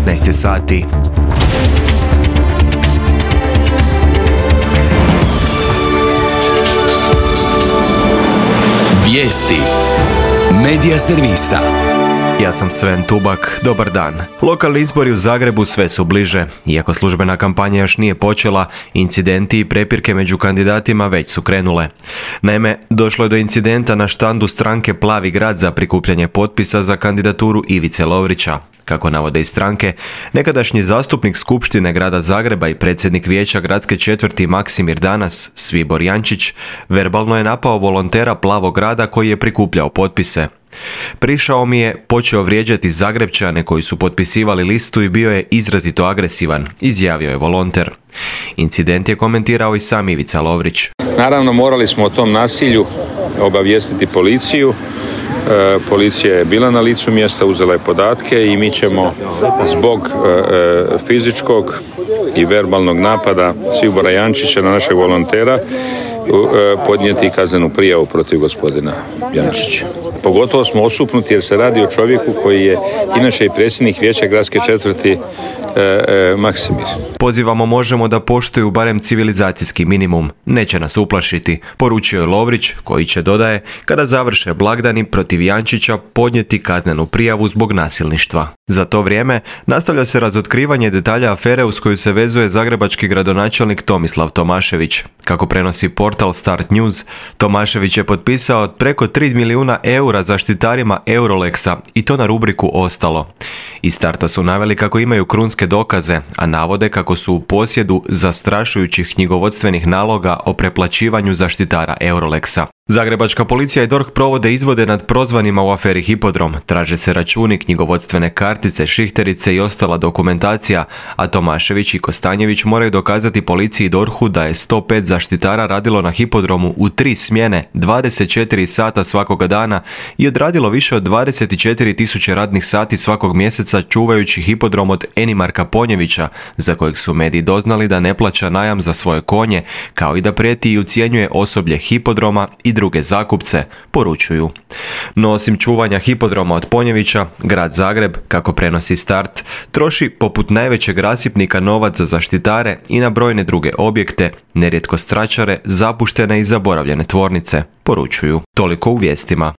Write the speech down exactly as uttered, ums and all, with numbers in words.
devetnaest je sati. Vijesti Medija servisa. Ja sam Sven Tubak, dobar dan. Lokalni izbori u Zagrebu sve su bliže. Iako službena kampanja još nije počela, incidenti i prepirke među kandidatima već su krenule. Naime, došlo je do incidenta na štandu stranke Plavi grad za prikupljanje potpisa za kandidaturu Ivice Lovrića. Kako navode iz stranke, nekadašnji zastupnik Skupštine grada Zagreba i predsjednik vijeća gradske četvrti Maksimir Danas, Svibor Jančić, verbalno je napao volontera Plavog grada koji je prikupljao potpise. Prišao mi je, počeo vrijeđati Zagrepčane koji su potpisivali listu i bio je izrazito agresivan, izjavio je volonter. Incident je komentirao i sam Ivica Lovrić. Naravno, morali smo o tom nasilju obavijestiti policiju. E, policija je bila na licu mjesta, uzela je podatke i mi ćemo zbog e, fizičkog i verbalnog napada Svibora Jančića na našeg volontera e, podnijeti kaznenu prijavu protiv gospodina Jančića. Pogotovo smo osupnuti jer se radi o čovjeku koji je inače i predsjednik vijeća gradske četvrti e, e, Maksimir. Pozivamo Možemo da poštuju barem civilizacijski minimum. Neće nas uplašiti, poručio je Lovrić, koji će, dodaje, kada završe blagdani protiv Jančića podnijeti kaznenu prijavu zbog nasilništva. Za to vrijeme nastavlja se razotkrivanje detalja afere uz koju se vezuje zagrebački gradonačelnik Tomislav Tomašević. Kako prenosi portal Start News, Tomašević je potpisao preko tri milijuna eura zaštitarima Eurolexa i to na rubriku Ostalo. Iz Starta su naveli kako imaju krunske dokaze, a navode kako su u posjedu zastrašujućih knjigovodstvenih naloga o preplaćivanju zaštitara Eurolexa. Zagrebačka policija i D O R H provode izvode nad prozvanima u aferi Hipodrom, traže se računi, knjigovodstvene kartice, šihterice i ostala dokumentacija, a Tomašević i Kostanjević moraju dokazati policiji i D O R H-u da je sto pet zaštitara radilo na Hipodromu u tri smjene, dvadeset četiri sata svakoga dana i odradilo više od dvadeset četiri tisuće radnih sati svakog mjeseca čuvajući Hipodrom od Enimarka Ponjevića, za kojeg su mediji doznali da ne plaća najam za svoje konje, kao i da prijeti i ucjenjuje osoblje Hipodroma i druge zakupce, poručuju. No osim čuvanja Hipodroma od Ponjevića, grad Zagreb, kako prenosi Start, troši poput najvećeg rasipnika novac za zaštitare i na brojne druge objekte, nerijetko stračare, zapuštene i zaboravljene tvornice, poručuju. Toliko u vijestima.